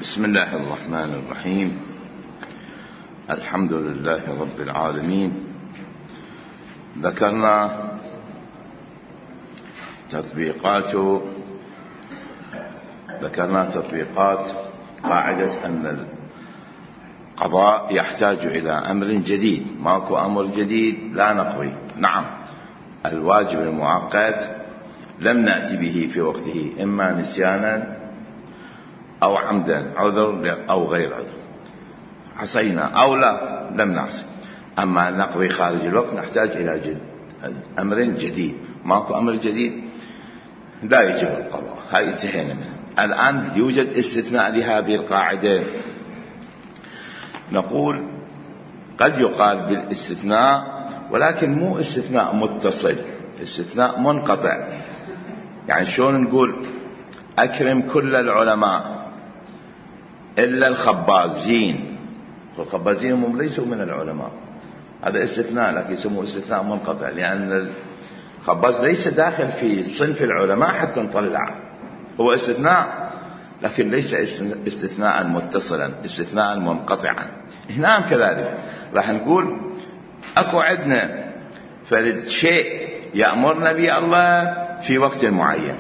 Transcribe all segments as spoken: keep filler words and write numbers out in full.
بسم الله الرحمن الرحيم. الحمد لله رب العالمين. ذكرنا تطبيقات ذكرنا تطبيقات قاعدة أن القضاء يحتاج إلى أمر جديد. ماكو أمر جديد لا نقضي. نعم، الواجب المؤقت لم نأتي به في وقته، إما نسيانا أو عمدا، عذر أو غير عذر، عصينا أو لا لم نعصي. أما نقضي خارج الوقت نحتاج إلى جد أمر جديد. ماكو أمر جديد لا يجب القضاء. هاي انتهينا منه. الآن يوجد استثناء لهذه القاعدة. نقول قد يقال بالاستثناء، ولكن مو استثناء متصل، استثناء منقطع. يعني شلون نقول أكرم كل العلماء إلا الخبازين، والخبازين هم ليسوا من العلماء، هذا استثناء لكن يسموه استثناء منقطع، لأن الخباز ليس داخل في صنف العلماء حتى نطلعه. هو استثناء لكن ليس استثناء متصلا، استثناء منقطعا. هنا كذلك راح نقول أكو عندنا فرد شيء يأمرنا به الله في وقت معين،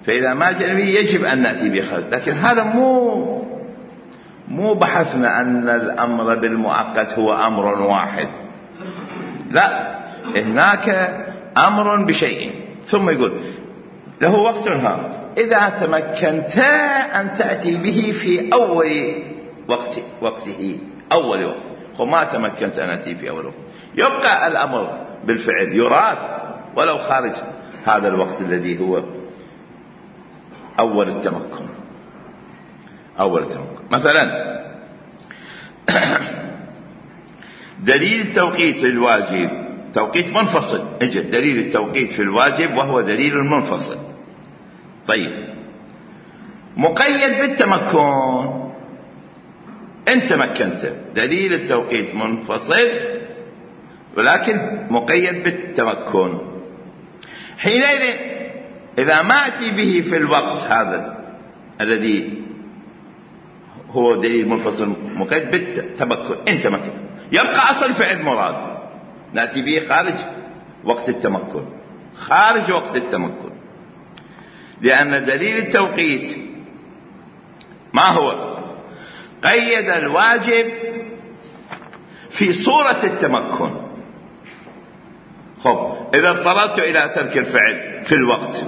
فإذا ما جاء به يجب أن نأتي به خارج. لكن هذا مو مو بحثنا أن الأمر بالمؤقت هو أمر واحد، لا، هناك أمر بشيء ثم يقول له وقت ها، إذا تمكنت أن تأتي به في أول وقت وقته أول وقت، وما تمكنت أن أتي في أول وقت، يبقى الأمر بالفعل يراد ولو خارج هذا الوقت الذي هو أول التمكن. أول التمكن مثلا دليل التوقيت في الواجب توقيت منفصل، اجل دليل التوقيت في الواجب وهو دليل منفصل. طيب، مقيد بالتمكن، إن تمكنت، دليل التوقيت منفصل ولكن مقيد بالتمكن. حينئذ إذا ما أتي به في الوقت هذا الذي هو دليل منفصل مقيد بالتمكن، إن تمكن، يبقى أصل فعل مراد، نأتي به خارج وقت التمكن، خارج وقت التمكن، لأن دليل التوقيت ما هو؟ قيد الواجب في صورة التمكن. خب، إذا اضطررت إلى ترك الفعل في الوقت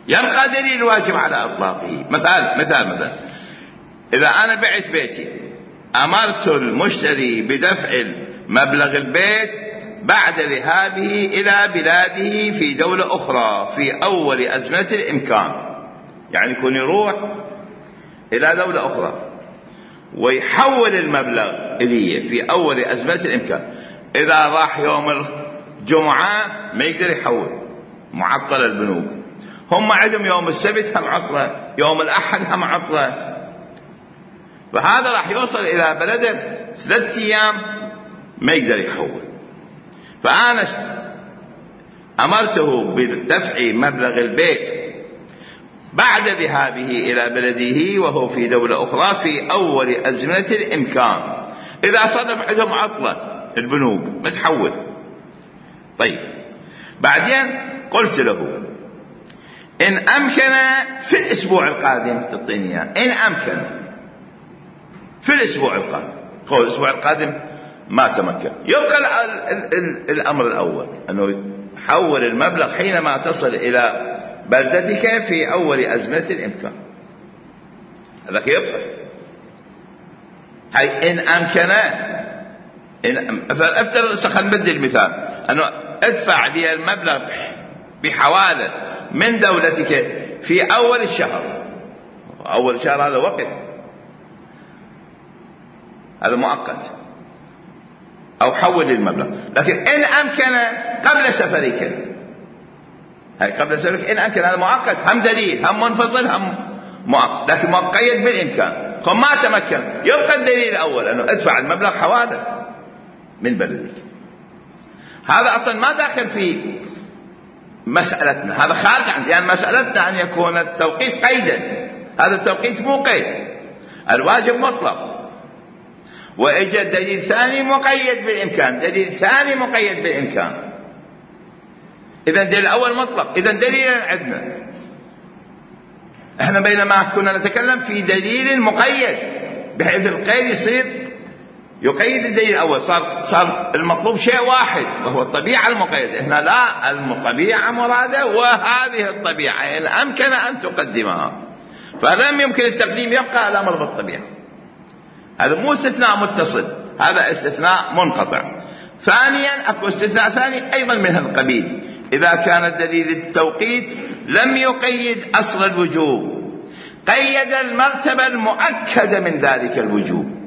يبقى دليل الواجب على إطلاقه. مثال مثال مثلا إذا أنا بعت بيتي، أمرت المشتري بدفع مبلغ البيت بعد ذهابه إلى بلاده في دولة أخرى في أول أزمة الإمكان، يعني يكون يروح إلى دولة أخرى ويحول المبلغ إليه في أول أزمة الإمكان. إذا راح يوم الجمعة ما يقدر يحول، معطل البنوك، هم عندهم يوم السبت هم عطلة، يوم الأحد هم عطلة، فهذا راح يوصل إلى بلده ثلاثة أيام ما يقدر يحول. فأنا أمرته بدفع مبلغ البيت بعد ذهابه إلى بلده وهو في دولة أخرى في أول أزمنة الإمكان. إذا صدف عندهم عطلة البنوك ما تحول. طيب، بعدين قلت له إن أمكن في الأسبوع القادم تعطيني، إن أمكن في الأسبوع القادم. هو الأسبوع القادم ما تمكن، يبقى ال ال ال الأمر الأول أنه حول المبلغ حينما تصل إلى بلدتك في أول أزمة الإمكان، هذاك يبقى. هاي إن أمكن، إن افترض خلينا نبدل المثال، أنه ادفع لي المبلغ بحوالة من دولتك في أول الشهر، أول الشهر هذا وقت، هذا مؤقت، أو حول المبلغ. لكن إن أمكن قبل سفرك، هاي قبل سفرك إن أمكن، هذا مؤقت، هم دليل، هم منفصل، هم مؤقت، لكن مقيد بالإمكان. فما تمكن يبقى الدليل الأول أنه ادفع المبلغ حوالة من بلدك. هذا أصلا ما داخل في مسألتنا، هذا خارج عن، يعني مسألتنا أن يكون التوقيت قيدا، هذا التوقيت مو قيد. الواجب مطلق، وإجا دليل ثاني مقيد بالإمكان، دليل ثاني مقيد بالإمكان. إذا دليل الأول مطلق، إذا دليل عندنا احنا بينما كنا نتكلم في دليل مقيد بحيث القيد يصير يقيد الدليل الأول، صار صار المطلوب شيء واحد وهو الطبيعة المقيدة. هنا لا، الطبيعة مرادة، وهذه الطبيعة إن أمكن أن تقدمها، فلم يمكن التقديم، يبقى الأمر بالطبيعة. هذا مو استثناء متصل، هذا استثناء منقطع. ثانيا أكو استثناء ثاني أيضا من هذا القبيل، إذا كان دليل التوقيت لم يقيد أصل الوجوب، قيد المرتبة المؤكدة من ذلك الوجوب.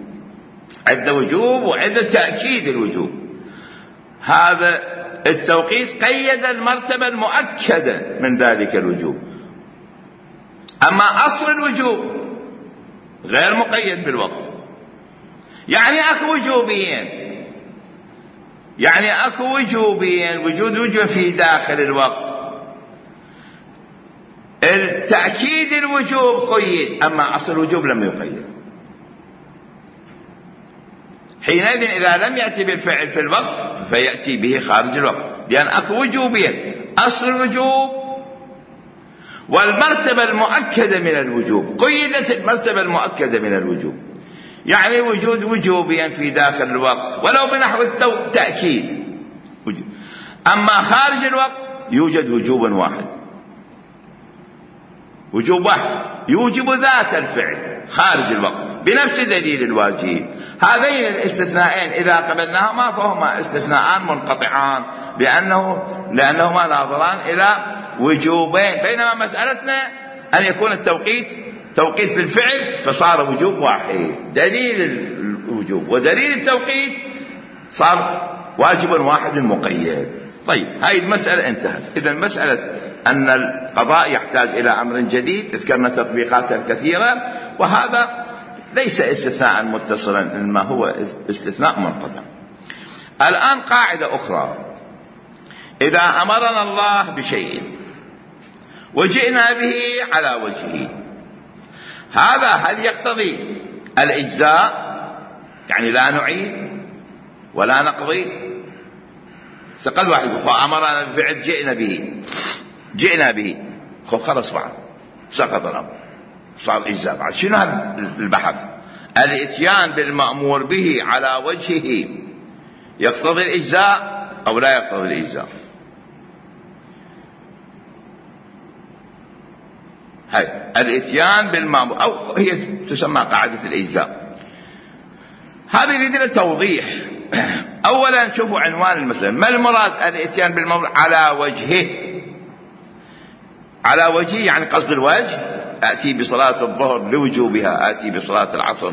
عند وجوب وعند تأكيد الوجوب، هذا التوقيت قيد المرتبة المؤكدة من ذلك الوجوب. أما أصل الوجوب غير مقيد بالوقت، يعني أكو وجوبين، يعني أكو وجوبين، وجود وجوب في داخل الوقت. التأكيد الوجوب قيد، أما أصل الوجوب لم يقيد. حينئذ إذا لم يأتي بالفعل في الوقت فيأتي به خارج الوقت، لأن أكو وجوبين، أصل الوجوب والمرتبة المؤكدة من الوجوب. قيدت المرتبة المؤكدة من الوجوب، يعني وجود وجوبين في داخل الوقت ولو بنحو التأكيد. أما خارج الوقت يوجد وجوب واحد، وجوب واحد يوجب ذات الفعل خارج الوقت بنفس دليل الواجب. هذين الاستثناءين إذا قبلناهما فهما استثناءان منقطعان، لأنه لأنهما ناظران إلى وجوبين، بينما مسألتنا أن يكون التوقيت توقيت بالفعل فصار وجوب واحد، دليل الوجوب ودليل التوقيت صار واجب واحد مقيد. طيب، هاي المسألة انتهت. إذا مسألة أن القضاء يحتاج إلى أمر جديد ذكرنا تطبيقاتها الكثيرة، وهذا ليس استثناء متصلا إنما هو استثناء منقطع. الآن قاعدة أخرى، إذا أمرنا الله بشيء وجئنا به على وجهه، هذا هل يقتضي الإجزاء؟ يعني لا نعيد ولا نقضي. سقل واحد فأمرنا بفعل جئنا به، جئنا به، خب خلص بعد سقط الأمر، صار إجزاء. بعد شنو هذا البحث؟ الإتيان بالمأمور به على وجهه يقتضي الإجزاء أو لا يقتضي الإجزاء؟ هاي الإتيان بالمأمور، أو هي تسمى قاعدة الإجزاء. هذه يريد لنا توضيح. أولا شوفوا عنوان المسألة، ما المراد الإتيان بالمأمور على وجهه؟ على وجهه يعني قصد الوجه، آتي بصلاة الظهر لوجوبها، آتي بصلاة العصر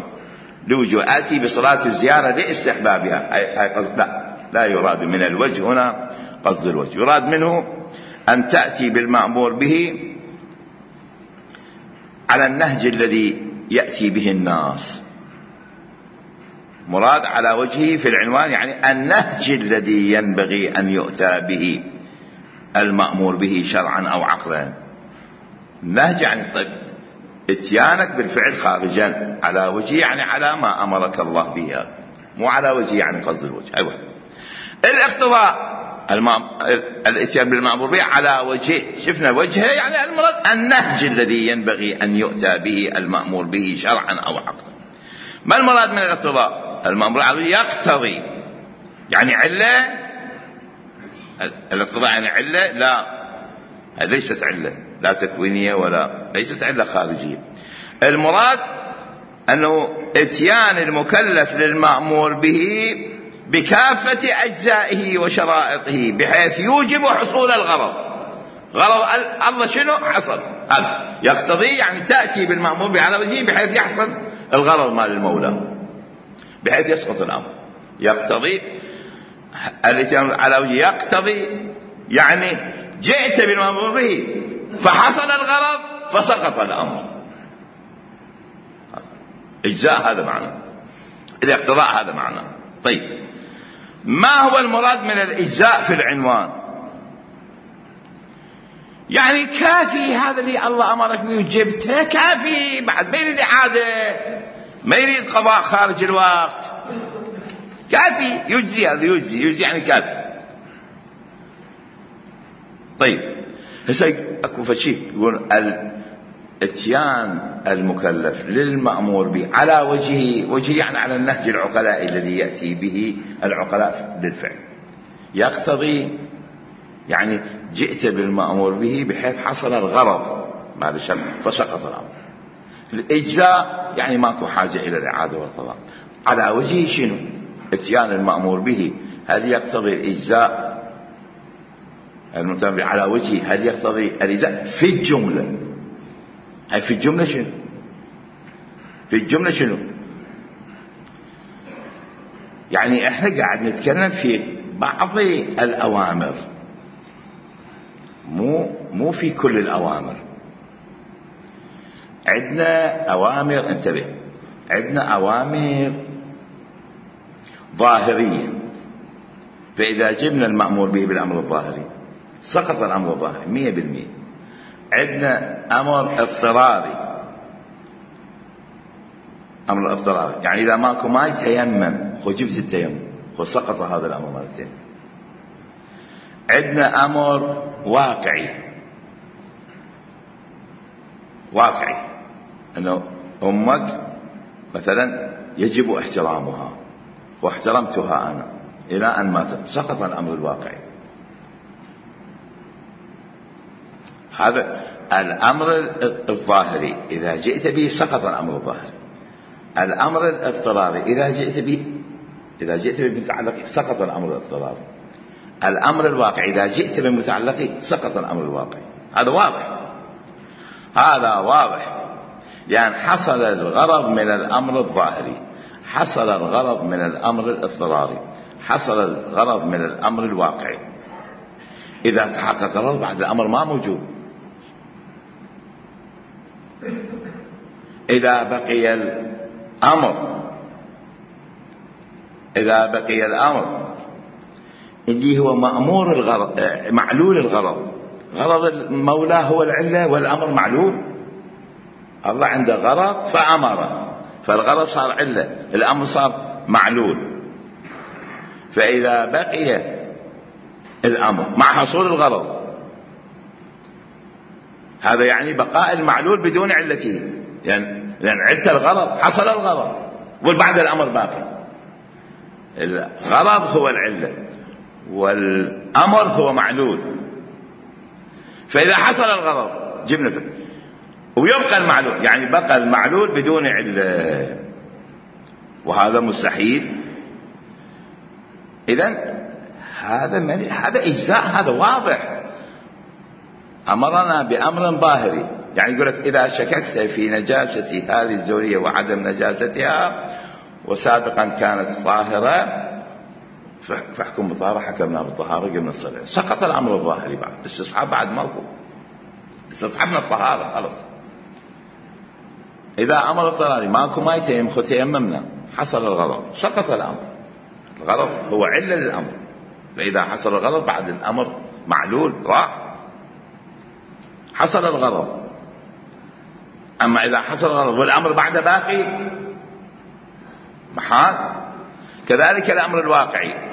لوجوب، آتي بصلاة الزيارة لاستحبابها. أي قصد لا، لا يراد من الوجه هنا قصد الوجه، يراد منه أن تأتي بالمأمور به على النهج الذي يأتي به الناس. مراد على وجهه في العنوان يعني النهج الذي ينبغي أن يؤتى به المأمور به شرعا أو عقلا. النهج يعني طيب اتيانك بالفعل خارجا على وجهه، يعني على ما أمرك الله به، مو على وجهه يعني قصد الوجه. أيوة. الاقتضاء الاتيان بالمأمور به على وجهه، شفنا وجهه يعني المراد النهج الذي ينبغي أن يؤتى به المأمور به شرعا أو عقلا. ما المراد من الاقتضاء؟ المأمور على يقتضي يعني علة، الاقتضاء يعني علة، لا ليست علة، لا تكوينية ولا ليست علة خارجية. المراد أنه اتيان المكلف للمأمور به بكافة أجزائه وشرائطه بحيث يوجب حصول الغرض. غرض الله شنو؟ حصل. هذا يقتضي يعني تأتي بالمأمور به على وجهه بحيث يحصل الغرض مال المولى، بحيث يسقط الأمر. يقتضي الاتيان على وجهه، يقتضي يعني جئت بالمأمور به فحصل الغرض فسقط الأمر. إجزاء هذا معنى، الاقتضاء هذا معنى. طيب، ما هو المراد من الإجزاء في العنوان؟ يعني كافي هذا اللي الله أمرك به وجبته كافي، بعد ما يريد إعادة، ما يريد قضاء خارج الوقت، كافي يجزي، هذا يجزي يجزي يعني كافي. طيب هسه اكو فشي يقول الاتيان المكلف للمأمور به على وجه وجه يعني على النهج العقلاء الذي يأتي به العقلاء للفعل، يقتضي يعني جئت بالمأمور به بحيث حصل الغرض بعد الشرط فسقط الأمر. الإجزاء يعني ماكو حاجة إلى الإعادة والقضاء. على وجه شنو؟ اتيان المأمور به هل يقتضي الإجزاء المتابع على وجه هل يقتضي الإجزاء في الجملة؟ هاي في الجملة شنو؟ في الجملة شنو؟ يعني احنا قاعد نتكلم في بعض الأوامر، مو مو في كل الأوامر. عندنا أوامر، انتبه، عندنا أوامر ظاهرية، فإذا جبنا المأمور به بالأمر الظاهري سقط الأمر الظاهري مية بالمية. عندنا أمر اضطراري، أمر اضطراري يعني إذا ماكو ماء تيمم، خو جبت التيمم، خو سقط هذا الأمر مرتين. عندنا أمر واقعي، واقعي أنه أمك مثلا يجب احترامها واحترمتها أنا إلى أن ماتت، سقط الأمر الواقعي. هذا الأمر الظاهري إذا جئت به سقط الأمر الظاهري. الأمر الاضطراري إذا جئت به إذا جئت بمتعلق سقط الأمر الاضطراري. الأمر الواقعي إذا جئت بمتعلق سقط الأمر الواقعي. هذا واضح، هذا واضح، يعني حصل الغرض من الأمر الظاهري، حصل الغرض من الأمر الاضطراري، حصل الغرض من الأمر الواقعي. إذا تحقق الغرض بعد الأمر ما موجود. إذا بقي الأمر إذا بقي الأمر اللي هو مأمور الغرض، معلول الغرض، غرض المولى هو العلة والأمر معلول. الله عنده غرض فأمر، فالغرض صار علة، الأمر صار معلول. فإذا بقي الأمر مع حصول الغرض، هذا يعني بقاء المعلول بدون علته، يعني لأن علة الغرض حصل الغرض وبعد الأمر باقي. الغرض هو العلة والأمر هو معلول. فإذا حصل الغرض جبنا فيه ويبقى المعلول، يعني بقى المعلول بدون علة، وهذا مستحيل. إذن هذا من هذا إجزاء، هذا واضح. أمرنا بأمر ظاهري، يعني يقول لك إذا شككت في نجاسة هذه الزورية وعدم نجاستها وسابقا كانت طاهرة فاحكم بالطهارة، حكمنا بالطهارة قمنا الصلاة، سقط الأمر الظاهري. بعد استصحاب بعد ماكو، استصحبنا الطهارة خلص. إذا أمر اضطراري ماكو ما يتيم، خذ تيممنا، حصل الغرض سقط الأمر. الغرض هو علة للأمر، فإذا حصل الغرض بعد الأمر معلول راح، حصل الغرض. أما إذا حصل الغرض والأمر بعد باقي محال. كذلك الأمر الواقعي